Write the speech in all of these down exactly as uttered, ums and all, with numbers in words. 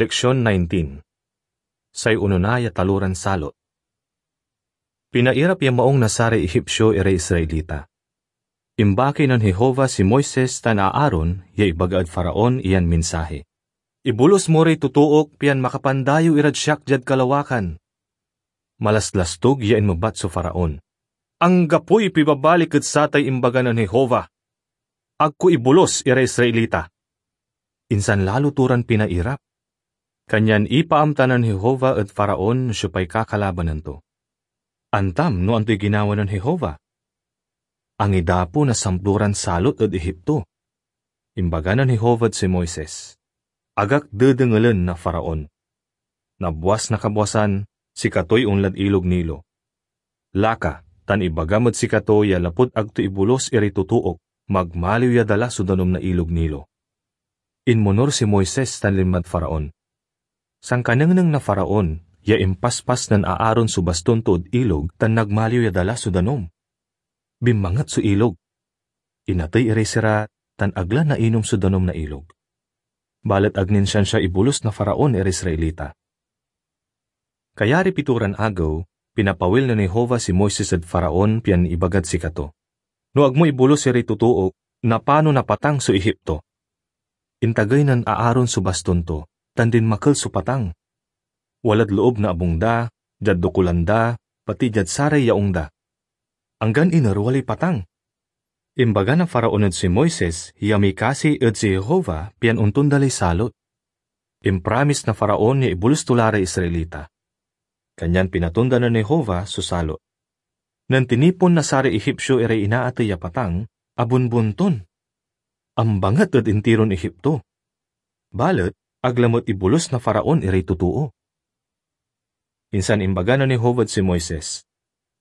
Seksyon nineteen. Say onona ya taloran salot. Pinairap ya maung na saray Ehipsio iray Israelita. Imbaki nen Jehovah si Moises tan Aaron ya ibaga ed Faraon iyan mensahe, "Ibolus mo ray totook pian makapandayew irad siak diad kalawakan." Malaslastog ya inmebat so Faraon, "Anggapoy pibabalik ed satay imbaga nen Jehovah. Ag ko ibolus iray Israelita." Insan lalo to ran pinairap. Kanyan ipaamta nen Jehovah ed Faraon no siopay kakalabanan to. Antam no antoy ginawa nen Jehovah? Angidapo na samploran salot ed Egipto. Imbaga nen Jehovah ed si Moises, "Agak dedengelen na Faraon. Nabuas na kabwasan, sikatoy onlad Ilog Nilo. Laka, tan ibagam ed sikato ya lapud ag to ibolus iray totook, magmaliw ya dala so danum na Ilog Nilo." Inmonur si Moises tan linmad Faraon. Sankanengneng na Faraon ya impaspas nen Aaron so baston to ed ilog tan nagmaliw ya dala so danum. Binmanget so ilog. Inatey iray sira tan ag la nainom so danum na ilog. Balet ag nin siansia ibolus na Faraon iray Israelita. Kayariy pitoran agew, pinapawil nen Jehovah si Moises ed Faraon pian ibagad sikato, "No ag mo ibolus iray totook, napano napatang so Egipto." Intagey nen Aaron so baston to, tan dinmakel so patang. Walad loob na abung da, diad dokulan da, pati diad saray yaung da. Anggan inerwal lay patang. Imbaga na Faraon ed si Moises ya mikasi ed si Jehovah pian ontonda lay salot. Impramis na Faraon ya ibolus to la ray Israelita. Kanyan pinatonda nen Jehovah so salot. Nen tinipon na saray Egipsio iray inaatey a patang, abunbunton. Ambanget ed intiron Egipto. Balet ag lamet ibolus na Faraon iray totoo. Insan imbaga nen Jehovah ed si Moises,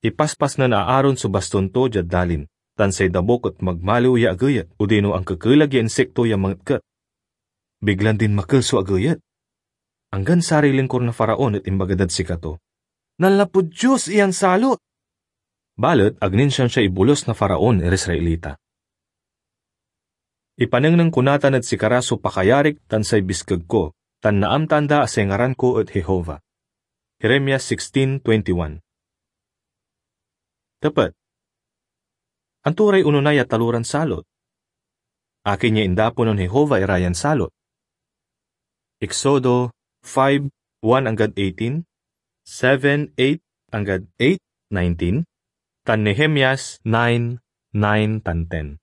"Ipaspas nen Aaron so baston to diad dalin, tan say dabuk et magmaliw ya ageyet odino ankekelag ya insekto ya mangetket." Biglan dinmakel so ageyet. Anggan saray lingkor na Faraon et imbaga dad sikato, "Nanlapud Dios iyan salot!" Balet ag nin siansia ibolus na Faraon iray Israelita. Ipanengneng ko natan ed sikara so pakayarik tan say biskeg ko, tan naamtaan da a say ngaran ko et Jehovah. Jeremias sixteen twenty-one. Tepet. Anto ray onona ya taloran salot? Akin ya indapo nen Jehovah ira yan salot? Exodo five, one anggad eighteen, seven, eight anggad eight, nineteen, tan Nehemias nine, nine tan ten.